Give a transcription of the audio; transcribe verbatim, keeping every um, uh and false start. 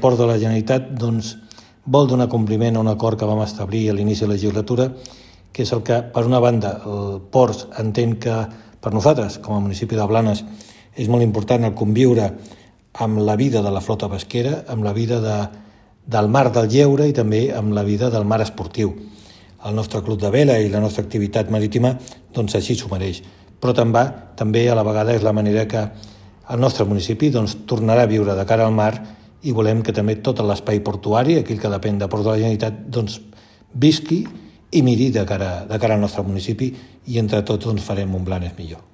Ports de la Generalitat doncs, vol donar compliment a un acord que vam establir a l'inici de la legislatura, que és el que, per una banda, el Ports entén que per nosaltres, com a municipi de Blanes, és molt important el conviure amb la vida de la flota pesquera, amb la vida de, del mar del lleure i també amb la vida del mar esportiu. El nostre club de vela i la nostra activitat marítima doncs, així s'ho mereix. Però també, també a la vegada és la manera que el nostre municipi doncs, tornarà a viure de cara al mar i volem que també tot l'espai portuari, aquell que depèn de Ports de la Generalitat, doncs, visqui i miri de cara, de cara al nostre municipi i entre tots doncs, farem un Blanes millor.